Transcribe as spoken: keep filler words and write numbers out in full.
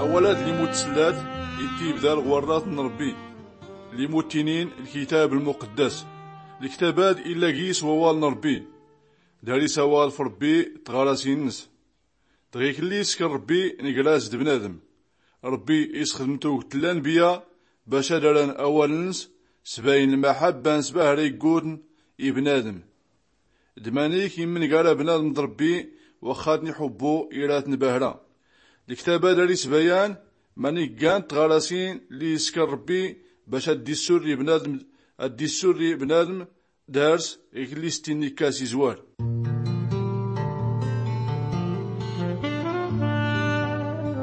Awal-ad limut sellat i-t-ibdal ɣ-warrat n-rbbi, limut inin lkitab lmuqeddas. Lktab-ad illa gis wawal n-rbbi. Dar-is awal f-rbbi d-tɣarasin-ns. Dɣi klli iskr rbbi ngras d-bnadm. Rbbi isxdm tugt n-lanbiya bac ad-aran awal-ns, sbayn lmaḥabba-ns bahra iggutn i-bnadm. D-manik imngar abnadm d-rbbi, waxxa-tn-ixubbu iratn bahra. Lktab-ad ar-isbayan manik gant tɣarasin lli iskr rbbi bac ad-dissurri bnadm, ad-dissurri bnadm. Dars iklli s-tinnikkas izwar.